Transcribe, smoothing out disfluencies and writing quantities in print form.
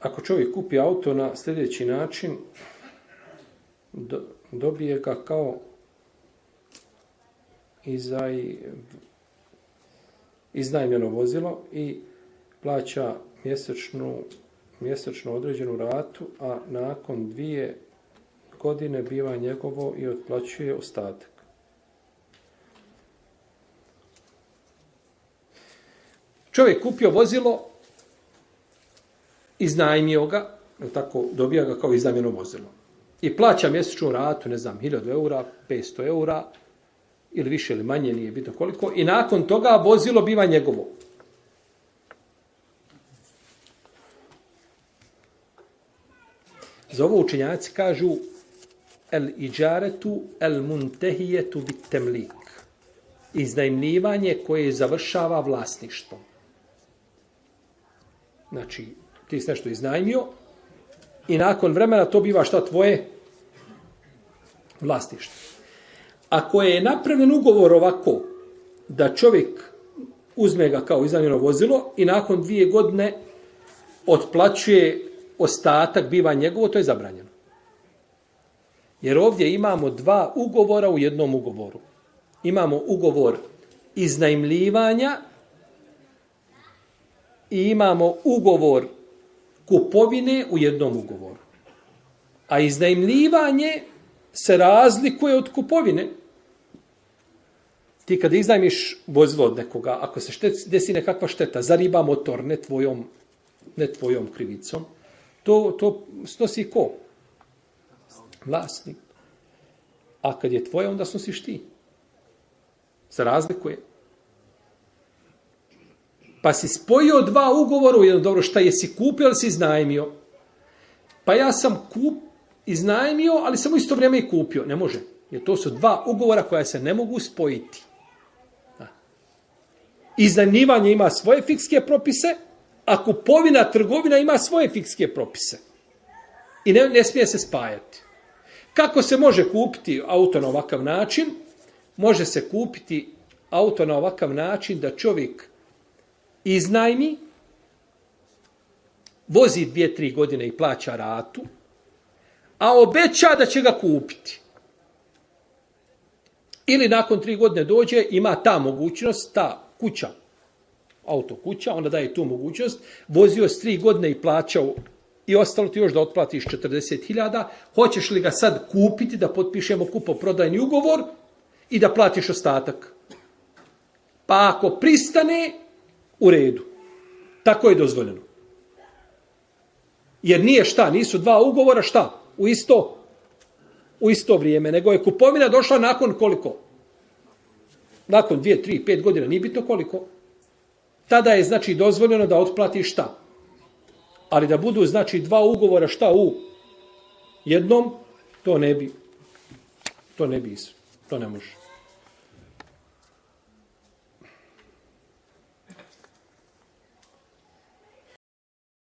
ako čovjek kupi auto na sljedeći način, dobije ga kao iznajmljeno vozilo i plaća mjesečno određenu ratu, a nakon 2 godine biva njegovo i otplaćuje ostatak. Čovjek kupio vozilo, iznajmio ga, tako dobija ga kao iznajmljeno vozilo. I plaća mjesečnu ratu, ne znam, 1000 eura, 500 eura, ili više ili manje, nije bitno koliko, i nakon toga vozilo biva njegovo. Za ovo učenjaci kažu el iđaretu el muntehijetu bit temlik. Iznajmljivanje koje završava vlasništvo. Znači, ti si nešto iznajmio i nakon vremena to biva šta tvoje vlasništvo. Ako je napravljen ugovor ovako, da čovjek uzme ga kao iznajmljeno vozilo i nakon 2 godine otplaćuje ostatak, biva njegovo, to je zabranjeno. Jer ovdje imamo 2 ugovora u jednom ugovoru. Imamo ugovor iznajmljivanja i imamo ugovor kupovine u jednom ugovoru. A iznajmljivanje se razlikuje od kupovine. Ti kada iznajmiš vozilo od nekoga, ako se desi nekakva šteta, zariba motor, ne tvojom krivicom, to snosi ko? Vlasnik. A kad je tvoje, onda snosiš ti. Se razlikuje. Pa si spojio 2 ugovora u jedno, dobro, šta jesi kupio ili si iznajmio? Pa ja sam iznajmio, ali sam u isto vrijeme i kupio. Ne može. Jer to su 2 ugovora koja se ne mogu spojiti. Iznajmljivanje ima svoje fikske propise, a kupovina, trgovina ima svoje fikske propise. I ne smije se spajati. Kako se može kupiti auto na ovakav način? Može se kupiti auto na ovakav način da čovjek iznajmi, vozi 2-3 godine i plaća ratu, a obeća da će ga kupiti. Ili nakon 3 godine dođe, ima ta mogućnost, ta kuća, auto kuća, onda daje tu mogućnost, vozio s 3 godine i plaćao i ostalo ti još da otplatiš 40.000, hoćeš li ga sad kupiti, da potpišemo kupoprodajni ugovor i da platiš ostatak? Pa ako pristane, u redu. Tako je dozvoljeno. Jer nije šta, nisu 2 ugovora šta? U isto vrijeme, nego je kupovina došla nakon koliko? Nakon 2, 3, 5 godina, nije bitno koliko. Tada je, znači, dozvoljeno da otplatiš šta? Ali da budu, znači, 2 ugovora šta u jednom, to ne bi, to ne može.